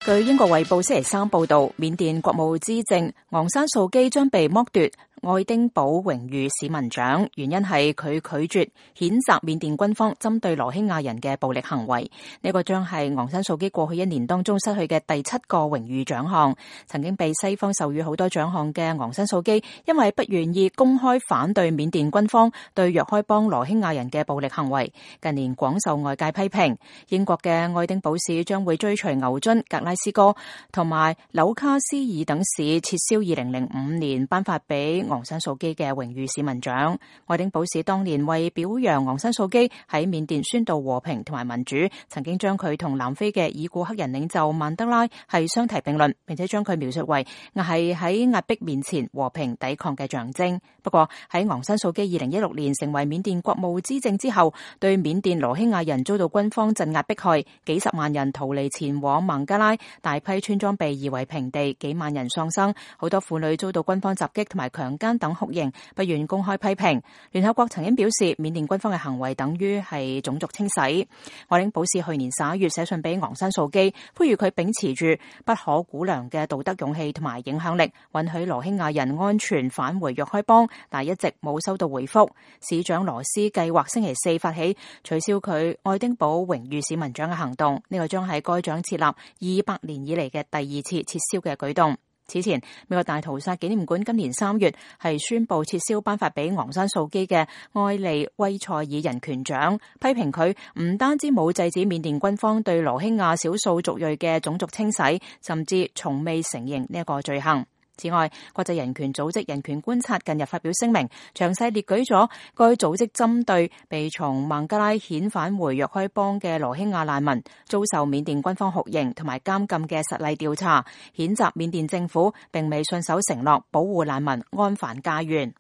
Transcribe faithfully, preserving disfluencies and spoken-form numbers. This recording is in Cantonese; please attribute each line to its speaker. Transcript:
Speaker 1: 據英國衛報星期三報道，緬甸國務資政昂山素基將被剝奪愛丁堡榮譽市民獎，原因係佢拒絕譴責緬甸軍方針對羅興亞人嘅暴力行為。呢個將係昂山素基過去一年當中失去嘅第七個榮譽獎項。曾經被西方授予好多獎項嘅昂山素基，因為不願意公開反對緬甸軍方對若開邦羅興亞人嘅暴力行為，近年廣受外界批評。英國嘅愛丁堡市將會追隨牛津、格拉斯哥同埋紐卡斯爾等市撤銷二零零五年頒發俾昂山素基嘅榮譽市民獎。愛丁堡市當年為表揚昂山素基喺緬甸宣導和平同埋民主，曾經將佢同南非嘅已故黑人領袖曼德拉係相提並論，並且將佢描述為係喺壓迫面前和平抵抗嘅象徵。不過喺昂山素基二零一六年成為緬甸國務資政之後，對緬甸羅興亞人遭到軍方鎮壓迫害，幾十萬人逃離前往孟加拉，大批村莊被夷為平地，幾萬人喪生，好多婦女遭到軍方襲擊同埋強姦等酷刑，不願公開批評。聯合國曾經表示，緬甸軍方嘅行為等於係種族清洗。愛丁堡市去年十一月寫信俾昂山素基，呼籲佢秉持住不可估量嘅道德勇氣同埋影響力，允許羅興亞人安全返回若開邦，但一直冇收到回覆。市長羅斯計劃星期四發起取消佢愛丁堡榮譽市民獎嘅行動，呢個將係該獎設立二百年以嚟嘅第二次撤銷嘅舉動。此前，美國大屠殺紀念館今年三月係宣布撤銷頒發俾昂山素基嘅埃利威塞爾人權獎，批評佢唔單止冇制止緬甸軍方對羅興亞少數族裔嘅種族清洗，甚至從未承認呢一個罪行。此外，國際人權組織人權觀察近日發表聲明，詳細列舉咗該組織針對被從孟加拉遣返回若開邦嘅羅興亞難民遭受緬甸軍方酷刑同埋監禁嘅實例調查，譴責緬甸政府並未信守承諾保護難民安返家園。